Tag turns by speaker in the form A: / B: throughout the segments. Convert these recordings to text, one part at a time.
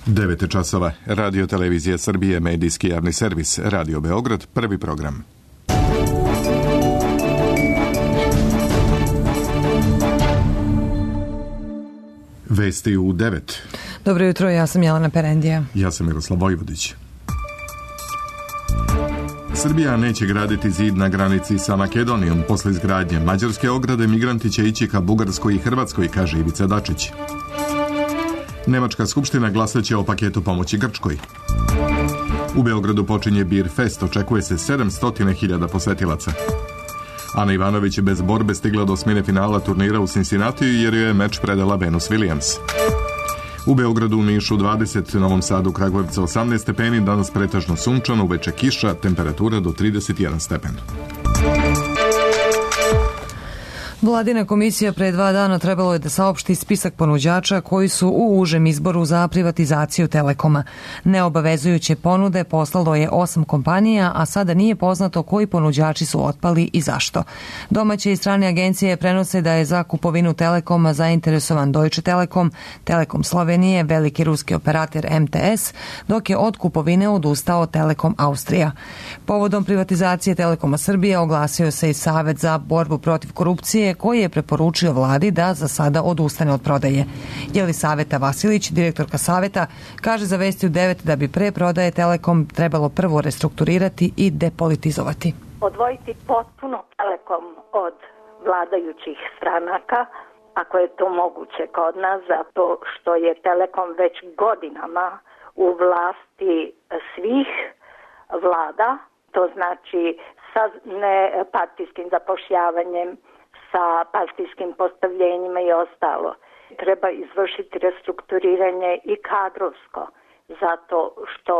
A: 9 časova. Radio Televizija Srbije, medijski javni servis, Radio Beograd, prvi program. Vesti u 9.
B: Dobro jutro, ja sam Jelena Perendija.
A: Ja sam Miroslav Vojvodić. Srbija neće graditi zid na granici sa Makedonijom. Posle izgradnje mađarske ograde migranti će ići ka Bugarskoj i Hrvatskoj, kaže Ivica Dačić. Nemačka skupština glasaće o paketu pomoći Grčkoj. U Beogradu počinje Beer Fest, očekuje se 700.000 posetilaca. Ana Ivanović je bez borbe stigla do osmine finala turnira u Cincinnatiju jer joj je meč predala Venus Williams. U Beogradu, u Nišu 20, Novom Sadu, Kragujevcu 18 stepeni, danas pretežno sunčano, uveče kiša, temperatura do 31 stepen.
B: Vladina komisija pre 2 dana trebalo je da saopšti spisak ponuđača koji su u užem izboru za privatizaciju Telekoma. Neobavezujuće ponude poslalo je 8 kompanija, a sada nije poznato koji ponuđači su otpali i zašto. Domaće i strane agencije prenose da je za kupovinu Telekoma zainteresovan Deutsche Telekom, Telekom Slovenije, veliki ruski operator MTS, dok je od kupovine odustao Telekom Austrija. Povodom privatizacije Telekoma Srbije oglasio se i Savet za borbu protiv korupcije, koji je preporučio vladi da za sada odustane od prodaje. Jelisaveta Vasilić, direktorka Saveta, kaže za Vesti u 9 da bi pre prodaje Telekom trebalo prvo restrukturirati i depolitizovati.
C: Odvojiti potpuno Telekom od vladajućih stranaka, ako je to moguće kod nas, zato što je Telekom već godinama u vlasti svih vlada, to znači sa nepartijskim zapošljavanjem, sa partijskim postavljenjima i ostalo. Treba izvršiti restrukturiranje i kadrovsko, zato što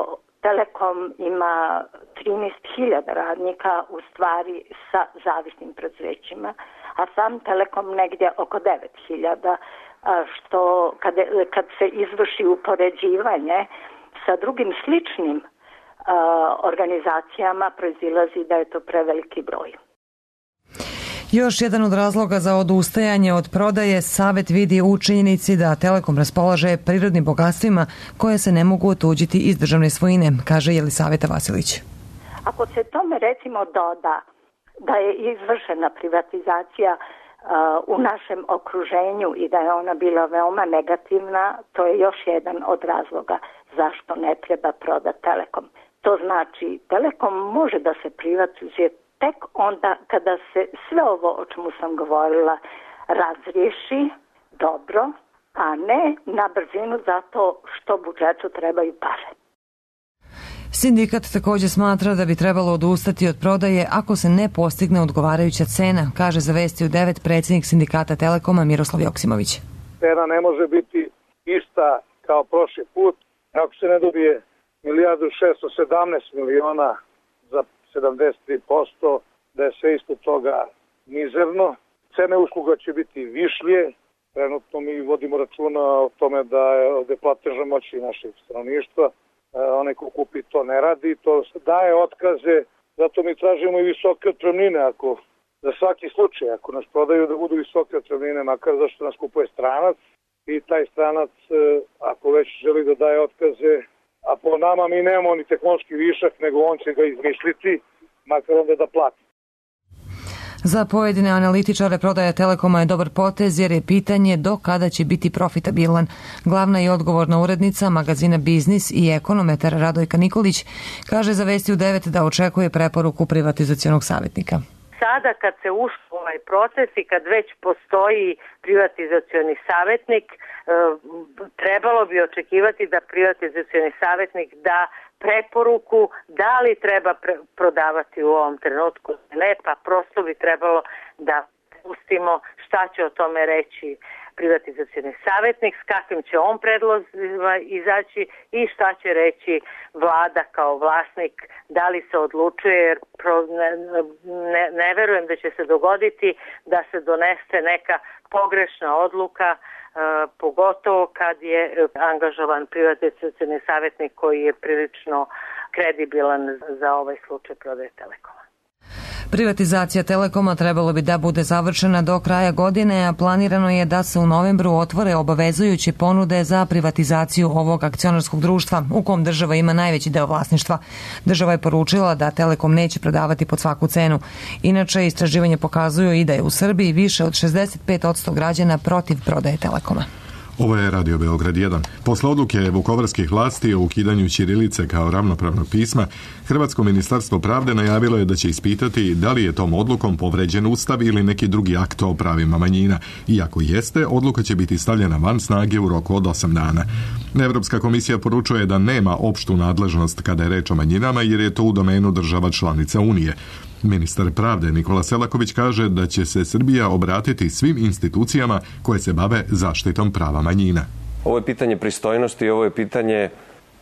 C: Telekom ima 13.000 radnika u stvari sa zavisnim preduzećima, a sam Telekom negdje oko 9.000, što kad se izvrši upoređivanje sa drugim sličnim organizacijama proizilazi da je to preveliki broj.
B: Još jedan od razloga za odustajanje od prodaje Savet vidi u činjenici da Telekom raspolaže prirodnim bogatstvima koje se ne mogu otuđiti iz državne svojine, kaže Jelisaveta Vasilić.
C: Ako se tome recimo doda da je izvršena privatizacija u našem okruženju i da je ona bila veoma negativna, to je još jedan od razloga zašto ne treba prodati Telekom. To znači Telekom može da se privatizuje tek onda kada se sve ovo o čemu sam govorila razriješi dobro, a ne na brzinu zato što budžetu trebaju pare.
B: Sindikat također smatra da bi trebalo odustati od prodaje ako se ne postigne odgovarajuća cena, kaže za Vesti u 9 predsjednik sindikata Telekoma Miroslav Joksimović.
D: Cena ne može biti ista kao prošli put. Ako se ne dobije 1.617.000.000 za 73%, da je sve isto toga mizerno. Cene usluga će biti višlje. Trenutno mi vodimo računa o tome da je ovde platežna moć i našeg stanovništva. Onaj ko kupi to ne radi, to daje otkaze, zato mi tražimo i visoke otpremnine. Ako za svaki slučaj, ako nas prodaju da budu visoke otpremnine, makar zašto nas kupuje stranac, i taj stranac, ako već želi da daje otkaze, a po nama mi nemamo ni tehnološki višak, nego on će ga izmisliti, makar onda da plati.
B: Za pojedine analitičare prodaja Telekoma je dobar potez jer je pitanje do kada će biti profitabilan. Glavna i odgovorna urednica magazina Biznis i ekonometar Radojka Nikolić kaže za Vesti u 9 da očekuje preporuku privatizacionog savjetnika.
E: Sada kad se ušlo u ovaj proces i kad već postoji privatizacioni savjetnik, trebalo bi očekivati da privatizacioni savjetnik da preporuku da li treba prodavati u ovom trenutku. Ne, pa prosto bi trebalo da pustimo šta će o tome reći privatizacioni savjetnik, s kakvim će on predlozima izaći i šta će reći vlada kao vlasnik, da li se odlučuje, jer ne verujem da će se dogoditi da se donese neka pogrešna odluka, pogotovo kad je angažovan privatizacioni savjetnik koji je prilično kredibilan za ovaj slučaj prodaje Telekoma.
B: Privatizacija Telekoma trebalo bi da bude završena do kraja godine, a planirano je da se u novembru otvore obavezujuće ponude za privatizaciju ovog akcionarskog društva, u kom država ima najveći deo vlasništva. Država je poručila da Telekom neće prodavati pod svaku cenu. Inače, istraživanje pokazuju i da je u Srbiji više od 65% građana protiv prodaje Telekoma.
A: Ovo je Radio Beograd 1. Posle odluke vukovarskih vlasti o ukidanju ćirilice kao ravnopravnog pisma, Hrvatsko ministarstvo pravde najavilo je da će ispitati da li je tom odlukom povređen Ustav ili neki drugi akt o pravima manjina. Iako jeste, odluka će biti stavljena van snage u roku od 8 dana. Evropska komisija poručuje da nema opštu nadležnost kada je reč o manjinama, jer je to u domenu država članica Unije. Ministar pravde Nikola Selaković kaže da će se Srbija obratiti svim institucijama koje se bave zaštitom prava manjina.
F: Ovo je pitanje pristojnosti i ovo je pitanje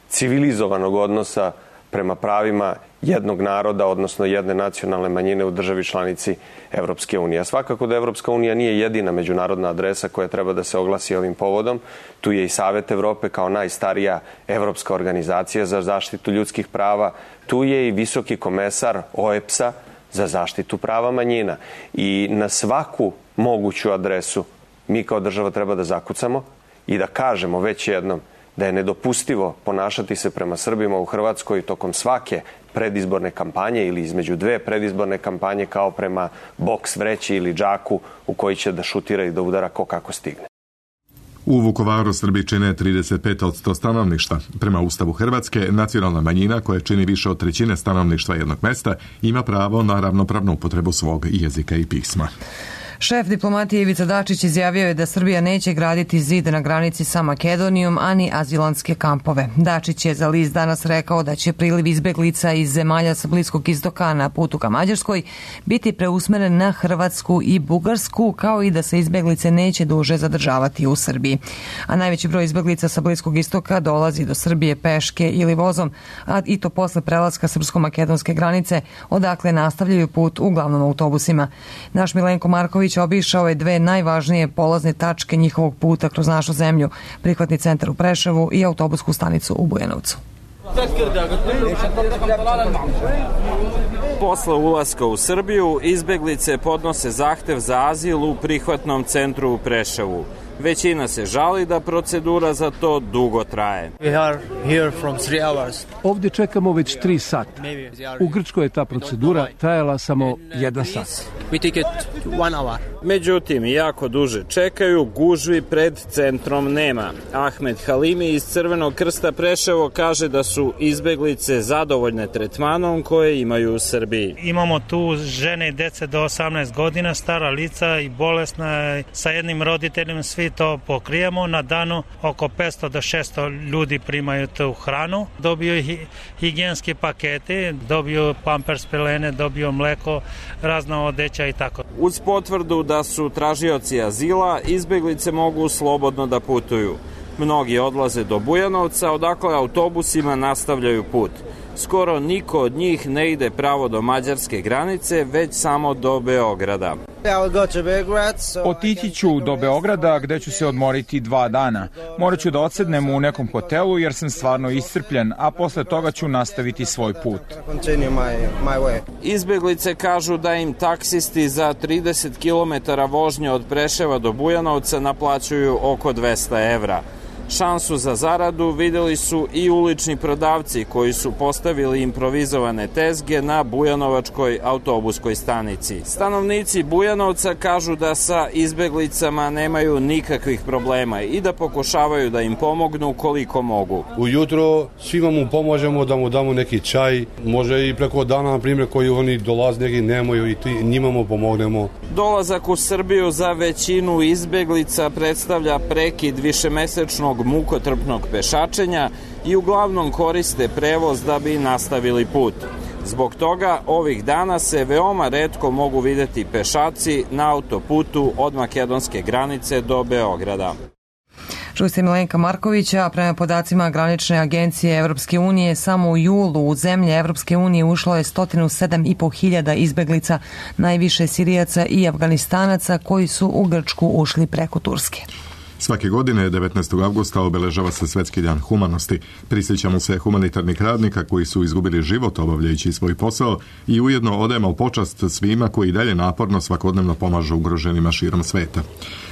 F: civilizovanog odnosa prema pravima jednog naroda, odnosno jedne nacionalne manjine u državi članici Evropske unije. A svakako da Evropska unija nije jedina međunarodna adresa koja treba da se oglasi ovim povodom. Tu je i Savet Evrope kao najstarija evropska organizacija za zaštitu ljudskih prava. Tu je i visoki komesar OEBS-a za zaštitu prava manjina. I na svaku moguću adresu mi kao država treba da zakucamo i da kažemo već jednom da je nedopustivo ponašati se prema Srbima u Hrvatskoj tokom svake predizborne kampanje ili između dve predizborne kampanje kao prema boks vreći ili džaku u koji će da šutira i da udara ko kako stigne.
A: U Vukovaru Srbi čine 35% stanovništva. Prema Ustavu Hrvatske, nacionalna manjina koja čini više od 1/3 stanovništva jednog mesta ima pravo na ravnopravnu upotrebu svog jezika i pisma.
B: Šef diplomatije Ivica Dačić izjavio je da Srbija neće graditi zid na granici sa Makedonijom, ani azilantske kampove. Dačić je za list Danas rekao da će priliv izbeglica iz zemalja sa Bliskog istoka na putu ka Mađarskoj biti preusmeren na Hrvatsku i Bugarsku, kao i da se izbeglice neće duže zadržavati u Srbiji. A najveći broj izbeglica sa Bliskog istoka dolazi do Srbije peške ili vozom, a i to posle prelaska srpsko-makedonske granice, odakle nastavljaju put uglavnom autobusima. Naš Milenko Marković obišao je dve najvažnije polazne tačke njihovog puta kroz našu zemlju, prihvatni centar u Preševu i autobusku stanicu u Bujanovcu.
G: Posle ulaska u Srbiju, izbeglice podnose zahtev za azil u prihvatnom centru u Preševu. Većina se žali da procedura za to dugo traje.
H: Ovdje čekamo već 3 sata. U Grčkoj je ta procedura trajala samo 1 sat.
G: Međutim, jako duže čekaju, gužvi pred centrom nema. Ahmed Halimi iz Crvenog krsta Preševo kaže da su izbeglice zadovoljne tretmanom koje imaju u Srbiji.
I: Imamo tu žene i dece do 18 godina, stara lica i bolesna, sa jednim roditeljem, svi to pokrijemo. Na danu oko 500 do 600 ljudi primaju tu hranu, dobiju higijenske pakete, dobiju pampers pelene, dobiju mleko, razna odeća i tako.
G: Uz potvrdu da su tražioci azila, izbeglice mogu slobodno da putuju. Mnogi odlaze do Bujanovca, odakle autobusima nastavljaju put. Skoro niko od njih ne ide pravo do mađarske granice, već samo do Beograda.
J: Otići ću do Beograda gde ću se odmoriti 2 dana. Morat ću da odsednem u nekom hotelu jer sam stvarno iscrpljen, a posle toga ću nastaviti svoj put.
G: Izbeglice kažu da im taksisti za 30 km vožnje od Preševa do Bujanovca naplaćuju oko 200 evra. Šansu za zaradu videli su i ulični prodavci koji su postavili improvizovane tezge na Bujanovačkoj autobuskoj stanici. Stanovnici Bujanovca kažu da sa izbeglicama nemaju nikakvih problema i da pokušavaju da im pomognu koliko mogu.
K: Ujutro svima mu pomožemo, da mu damo neki čaj, može i preko dana, na primjer, koji oni dolaze, neki nemaju i njima mu pomognemo.
G: Dolazak u Srbiju za većinu izbeglica predstavlja prekid višemesečnog mukotrpnog pešačenja i uglavnom koriste prevoz da bi nastavili put. Zbog toga ovih dana se veoma retko mogu videti pešaci na autoputu od makedonske granice do Beograda.
B: Čuli ste Milenka Markovića, prema podacima granične agencije Evropske unije, samo u julu u zemlje Evropske unije ušlo je 107.500 izbeglica, najviše Sirijaca i Afganistanaca koji su u Grčku ušli preko Turske.
A: Svake godine 19. avgusta obeležava se Svetski dan humanosti. Prisjećamo se humanitarnih radnika koji su izgubili život obavljajući svoj posao i ujedno odajemo počast svima koji dalje naporno svakodnevno pomažu ugroženima širom sveta.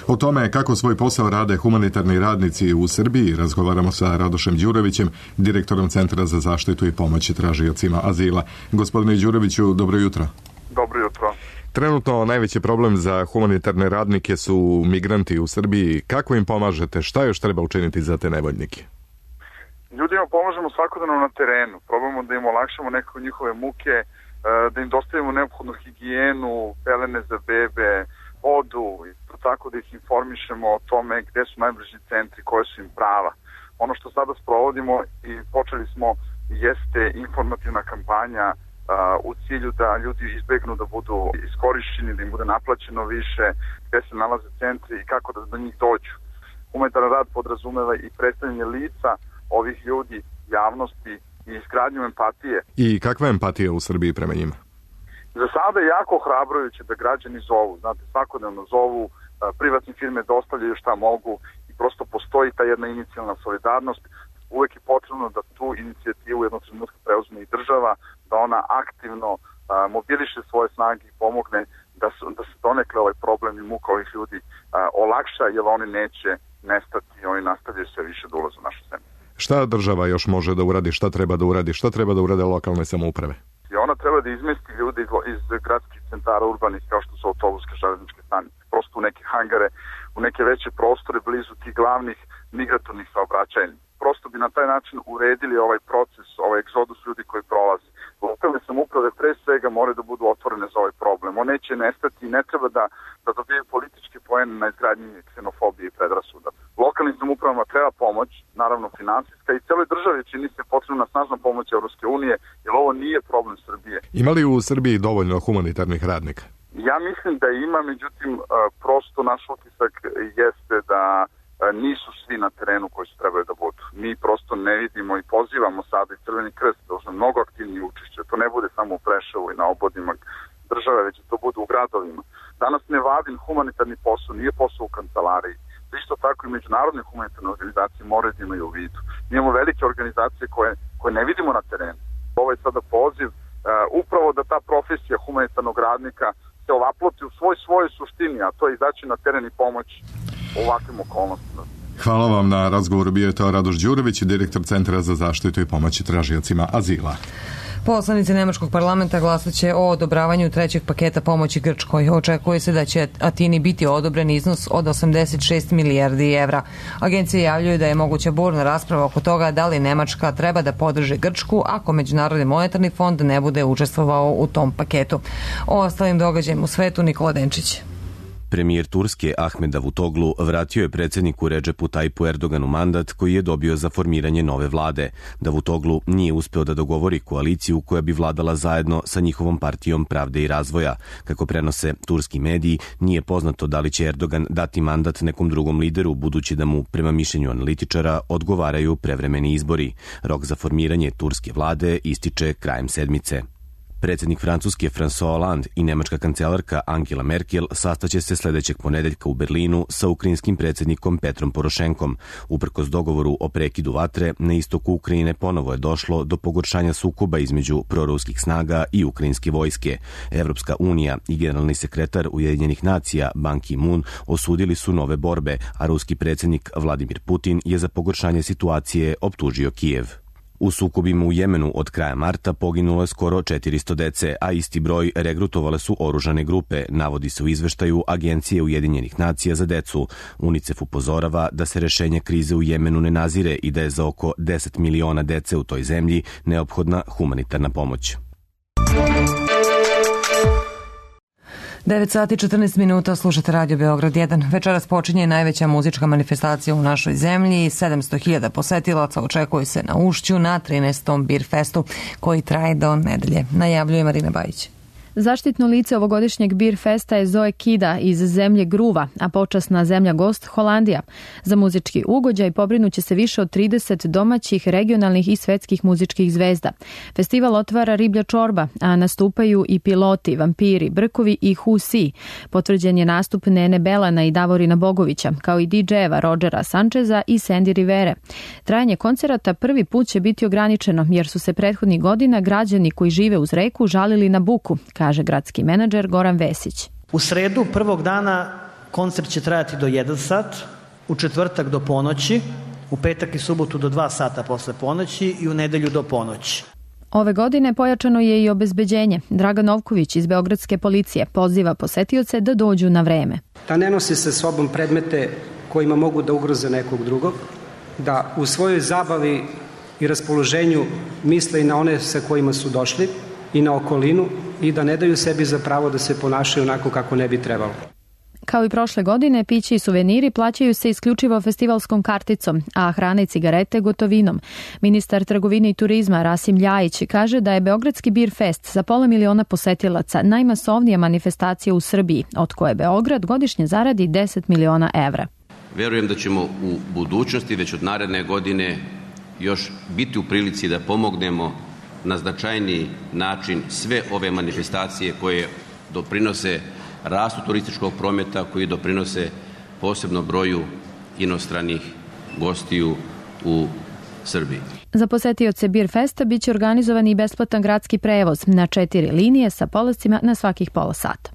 A: O tome kako svoj posao rade humanitarni radnici u Srbiji razgovaramo sa Radošem Đurovićem, direktorom Centra za zaštitu i pomoć tražiocima azila. Gospodine Đuroviću, dobro jutro.
L: Dobro jutro.
A: Trenutno najveći problem za humanitarne radnike su migranti u Srbiji. Kako im pomažete? Šta još treba učiniti za te nevoljnike?
L: Ljudima pomažemo svakodnevno na terenu. Probamo da im olakšamo nekako njihove muke, da im dostavimo neophodnu higijenu, pelene za bebe, vodu, tako da ih informišemo o tome gde su najbliži centri, koje su im prava. Ono što sada sprovodimo i počeli smo jeste informativna kampanja u cilju da ljudi izbegnu da budu iskorišćeni, da im bude naplaćeno više, gde se nalaze centri i kako da do njih dođu. Humanitaran rad podrazumeva i predstavljanje lica ovih ljudi, javnosti i izgradnju empatije.
A: I kakva je empatija u Srbiji prema njima?
L: Za sada je jako ohrabrujuće da građani zovu, znate, svakodnevno zovu, privatne firme dostavljaju šta mogu i prosto postoji ta jedna inicijalna solidarnost. Uvek je potrebno da tu inicijativu jednog trenutka preuzme i država, da ona aktivno mobiliše svoje snage i pomogne da se donekle ovaj problem i muka ovih ljudi olakša, jer oni neće nestati, oni nastavljaju sve više da ulaze u našu zemlju.
A: Šta država još može da uradi, šta treba da uradi, šta treba da urade lokalne samouprave?
L: I ona treba da izmesti ljude iz gradskih centara urbanih kao što su autobuske, železničke stanice, prosto u neke hangare, u neke veće prostore blizu tih glavnih migratornih saobraćajnica. Prosto bi na taj način uredili ovaj proces, ovaj egzodus ljudi koji prolazi. Lokalne samouprave pre svega moraju da budu otvorene za ovaj problem. On neće nestati i ne treba da dobiju političke poene na izgradnji ksenofobije i predrasuda. Lokalnim samoupravama treba pomoć, naravno finansijska, i celoj državi čini se potrebna snažna pomoć Evropske unije, jer ovo nije problem Srbije.
A: Ima li u Srbiji dovoljno humanitarnih radnika?
L: Ja mislim da ima, međutim, prosto naš utisak jeste da nisu svi na terenu koji su trebali da budu. Mi prosto ne vidimo i pozivamo sada i Crveni krst da uzme mnogo aktivnije učešće. To ne bude samo u Preševu i na obodima države, već to bude u gradovima. Danas nevladin humanitarni posao nije posao u kancelariji. Isto tako i međunarodne humanitarne organizacije moraju da imaju u vidu. Mi imamo velike organizacije koje ne vidimo na terenu. Ovo je sada poziv upravo da ta profesija humanitarnog radnika se ovaploti u svojoj suštini, a to je izaći na teren i pomoć u ovakvim okolnostima.
A: Hvala vam na razgovoru. Bio je to Radoš Đurović, direktor Centra za zaštitu i pomoć tražiocima azila.
B: Poslanici Nemačkog parlamenta glasaće o odobravanju trećeg paketa pomoći Grčkoj. Očekuje se da će Atini biti odobren iznos od 86 milijardi evra. Agencije javljaju da je moguća burna rasprava oko toga da li Nemačka treba da podrži Grčku ako Međunarodni monetarni fond ne bude učestvovao u tom paketu. O ostalim događajima u svetu Nikola Denčić.
M: Premijer Turske Ahmed Davutoglu vratio je predsjedniku Redžepu Tajpu Erdoganu mandat koji je dobio za formiranje nove vlade. Davutoglu nije uspeo da dogovori koaliciju koja bi vladala zajedno sa njihovom partijom Pravde i razvoja. Kako prenose turski mediji, nije poznato da li će Erdogan dati mandat nekom drugom lideru, budući da mu, prema mišljenju analitičara, odgovaraju prevremeni izbori. Rok za formiranje turske vlade ističe krajem sedmice. Predsjednik Francuske François Hollande i nemačka kancelarka Angela Merkel sastaće se sljedećeg ponedeljka u Berlinu sa ukrajinskim predsjednikom Petrom Porošenkom. Uprkos dogovoru o prekidu vatre, na istoku Ukrajine ponovo je došlo do pogoršanja sukoba između proruskih snaga i ukrajinske vojske. Evropska unija i generalni sekretar Ujedinjenih nacija Ban Ki-moon osudili su nove borbe, a ruski predsjednik Vladimir Putin je za pogoršanje situacije optužio Kijev. U sukobima u Jemenu od kraja marta poginulo je skoro 400 dece, a isti broj regrutovale su oružane grupe, navodi se u izveštaju Agencije Ujedinjenih nacija za decu. UNICEF upozorava da se rešenje krize u Jemenu ne nazire i da je za oko 10 miliona dece u toj zemlji neophodna humanitarna pomoć.
B: 9 sati 14 minuta, slušate Radio Beograd 1. Večeras počinje najveća muzička manifestacija u našoj zemlji. 700.000 posetilaca očekuje se na Ušću na 13. Beer Festu koji traje do nedelje. Najavljuje Marina Bajić.
N: Zaštitno lice ovogodišnjeg Beer Festa je Zoe Kida iz zemlje Gruva, a počasna zemlja gost Holandija. Za muzički ugođaj pobrinuće se više od 30 domaćih, regionalnih i svetskih muzičkih zvezda. Festival otvara Riblja čorba, a nastupaju i Piloti, Vampiri, Brkovi i Husi. Potvrđen je nastup Nene Belana i Davorina Bogovića, kao i DJ-eva Rodgera Sančeza i Sandy Rivere. Trajanje koncerata prvi put će biti ograničeno, jer su se prethodnih godina građani koji žive uz reku žalili na buku, kaže gradski menadžer Goran Vesić.
O: U sredu prvog dana koncert će trajati do 1 sat, u četvrtak do ponoći, u petak i subotu do 2 sata posle ponoći i u nedelju do ponoći.
N: Ove godine pojačano je i obezbeđenje. Dragan Novković iz Beogradske policije poziva posetioce da dođu na vreme.
P: Da ne nosi sa sobom predmete kojima mogu da ugroze nekog drugog, da u svojoj zabavi i raspoloženju misle i na one sa kojima su došli i na okolinu i da ne daju sebi za pravo da se ponašaju onako kako ne bi trebalo.
N: Kao i prošle godine, piće i suveniri plaćaju se isključivo festivalskom karticom, a hrana i cigarete gotovinom. Ministar trgovine i turizma Rasim Ljajić kaže da je Beogradski Beer Fest za 500.000 posetilaca najmasovnija manifestacija u Srbiji, od koje Beograd godišnje zaradi 10 miliona evra.
Q: Verujem da ćemo u budućnosti, već od naredne godine, još biti u prilici da pomognemo na značajniji način sve ove manifestacije koje doprinose rastu turističkog prometa, koji doprinose posebno broju inostranih gostiju u Srbiji.
N: Za posetioce Beer Festa biće organizovan i besplatan gradski prevoz na 4 linije sa polascima na svakih pola sata.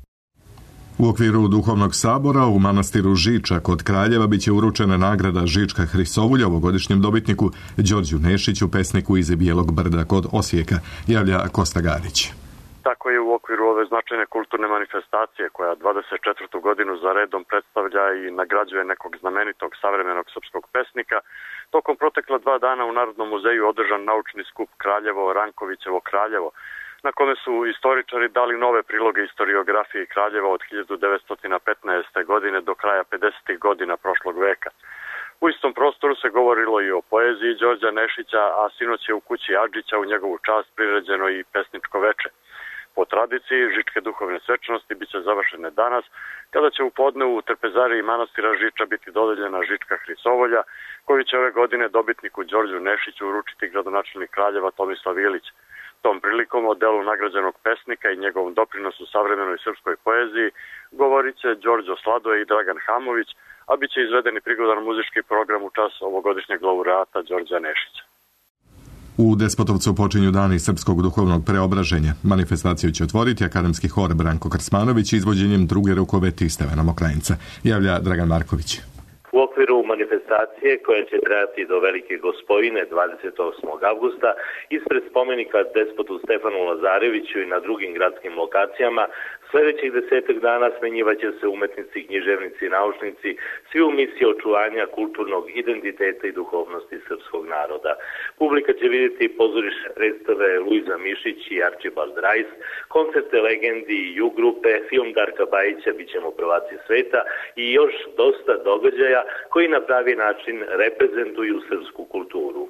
A: U okviru Duhovnog sabora u manastiru Žiča kod Kraljeva biće uručena nagrada Žička Hrisovulja ovogodišnjem dobitniku Đorđu Nešiću, pesniku iz Bijelog Brda kod Osijeka, javlja Kosta Garić.
R: Tako je u okviru ove značajne kulturne manifestacije koja 24. godinu za redom predstavlja i nagrađuje nekog znamenitog savremenog srpskog pesnika, tokom protekla 2 dana u Narodnom muzeju održan naučni skup Kraljevo, Rankovićevo Kraljevo, na kome su istoričari dali nove priloge istoriografiji Kraljeva od 1915. godine do kraja 50. godina prošlog veka. U istom prostoru se govorilo i o poeziji Đorđa Nešića, a sinoć je u kući Adžića u njegovu čast priređeno i pesničko veče. Po tradiciji, žičke duhovne svečanosti biće završene danas, kada će u podne u trpezariji manastira Žiča biti dodeljena Žička Hrisovolja, koju će ove godine dobitniku Đorđu Nešiću uručiti gradonačelnik Kraljeva Tomislav Ilić. Tom prilikom o delu nagrađenog pesnika i njegovom doprinosu savremenoj srpskoj poeziji govorit će Đorđo Sladoje i Dragan Hamović, a bit će izvedeni prigodan muzički program u čast ovogodišnjeg laureata Đorđa Nešića.
A: U Despotovcu počinju dani srpskog duhovnog preobraženja. Manifestaciju će otvoriti akademski hor Branko Krsmanović izvođenjem druge rukoveti Stevana Mokrajinca, javlja Dragan Marković.
S: U okviru manifestacije koja će trajati do Velike Gospojine 28. avgusta ispred spomenika despotu Stefanu Lazareviću i na drugim gradskim lokacijama sledećih 10 dana smenjivaće se umetnici, književnici i naučnici, svi u misiji očuvanja kulturnog identiteta i duhovnosti srpskog naroda. Publika će vidjeti pozorišne predstave Luiza Mišić i Archibald Rice, koncerte legendi i U grupe, film Darka Bajića Bićemo prvaci sveta i još dosta događaja koji na pravi način reprezentuju srpsku kulturu.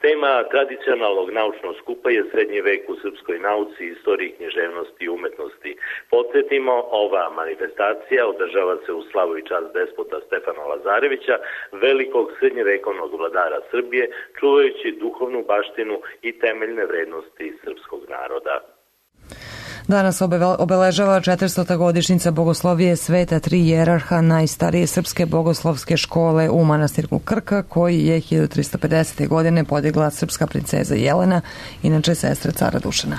S: Tema tradicionalnog naučnog skupa je srednji vek u srpskoj nauci, istoriji, književnosti i umetnosti. Podsjetimo, ova manifestacija održava se u slavu i čast despota Stefana Lazarevića, velikog srednjevekovnog vladara Srbije, čuvajući duhovnu baštinu i temeljne vrednosti srpskog naroda.
B: Danas obeležava 400. godišnjica bogoslovije Sveta Tri Jerarha, najstarije srpske bogoslovske škole u manastiru Krka, koji je 1350. godine podigla srpska princeza Jelena, inače sestra cara Dušana.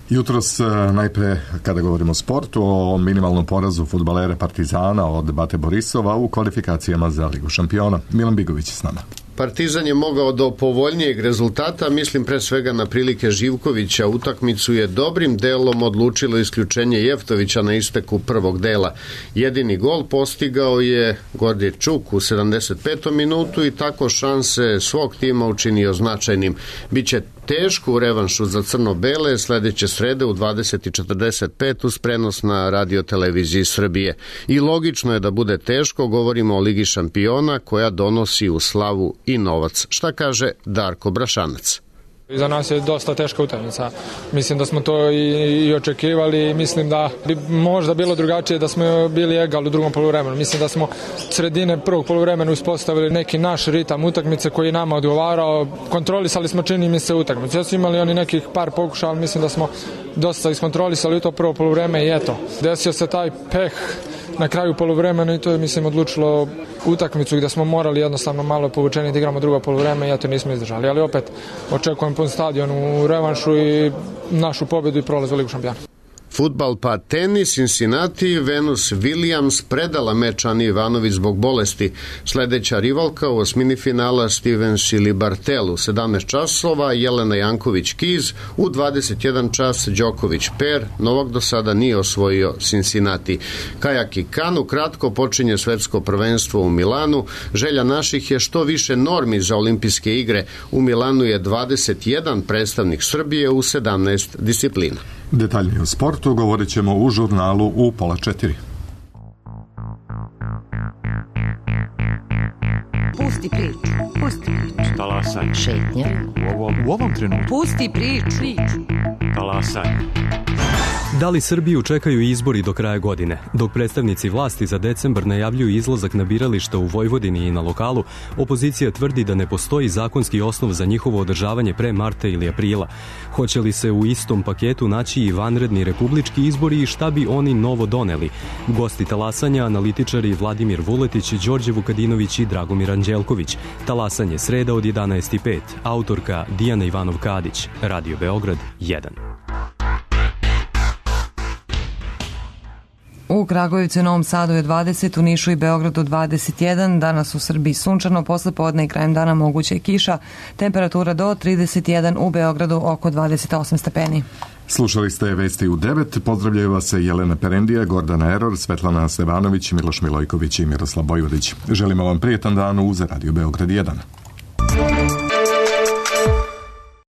A: Jutros, najpre, kada govorimo o sportu, o minimalnom porazu fudbalera Partizana od Bate Borisova u kvalifikacijama za Ligu šampiona. Milan Bigović je s nama.
T: Partizan je mogao do povoljnijeg rezultata, mislim pre svega na prilike Živkovića. Utakmicu je dobrim delom odlučilo isključenje Jeftovića na isteku prvog dela. Jedini gol postigao je Gordje Čuk u 75. minutu i tako šanse svog tima učinio značajnim. Biće teško u revanšu za crno-bele sledeće srede u 20:45 uz prenos na radioteleviziji Srbije. I logično je da bude teško, govorimo o Ligi šampiona koja donosi u slavu i novac. Šta kaže Darko Brašanac?
U: Za nas je dosta teška utakmica. Mislim da smo to i očekivali i mislim da bi možda bilo drugačije da smo bili egal u drugom poluvremenu. Mislim da smo sredine prvog poluvremena uspostavili neki naš ritam utakmice koji je nama odgovarao. Kontrolisali smo, čini mi se, utakmicu. Ja smo imali oni nekih par pokušaja, ali mislim da smo dosta iskontrolisali to prvo poluvreme i eto. Desio se taj peh na kraju poluvremena i to je, mislim, odlučilo utakmicu gdje smo morali jednostavno malo povučeni da igramo drugo poluvreme i eto nismo izdržali. Ali opet očekujem pun stadion u revanšu i našu pobjedu i prolaz u Ligu šampiona.
T: Fudbal pa tenis, Cincinnati, Venus Williams predala meč Ani Ivanović zbog bolesti. Sledeća rivalka u osmini finala Stevens ili Bartel u 17 časova, Jelena Janković-Kiz u 21 čas, Đoković Per. Novak do sada nije osvojio Cincinnati. Kajak i kanu, kratko počinje svetsko prvenstvo u Milanu. Želja naših je što više normi za olimpijske igre. U Milanu je 21 predstavnik Srbije u 17 disciplina.
A: Detaljnije o sportu govorit ćemo u žurnalu u 3:30.
V: Pusti priču. Pusti priču.
W: Talasaj.
V: Šetnja.
W: U ovom trenutku.
V: Pusti priču.
W: Talasaj.
X: Da li Srbiju čekaju izbori do kraja godine? Dok predstavnici vlasti za decembar najavljuju izlazak na birališta u Vojvodini i na lokalu, opozicija tvrdi da ne postoji zakonski osnov za njihovo održavanje pre marta ili aprila. Hoće li se u istom paketu naći i vanredni republički izbori i šta bi oni novo doneli? Gosti talasanja, analitičari Vladimir Vuletić, Đorđe Vukadinović i Dragomir Anđelković. Talasanje sreda od 11:05. Autorka Dijana Ivanov-Kadić. Radio Beograd 1.
B: U Kragujevcu i Novom Sadu je 20, u Nišu i Beogradu 21, danas u Srbiji sunčano, posle podne i krajem dana moguća je kiša, temperatura do 31, u Beogradu oko 28 stepeni.
A: Slušali ste vesti u 9, pozdravljaju vas se Jelena Perendija, Gordana Eror, Svetlana Stevanović, Miloš Milojković i Miroslav Bojvodić. Želimo vam prijetan dan uz Radio Beograd 1.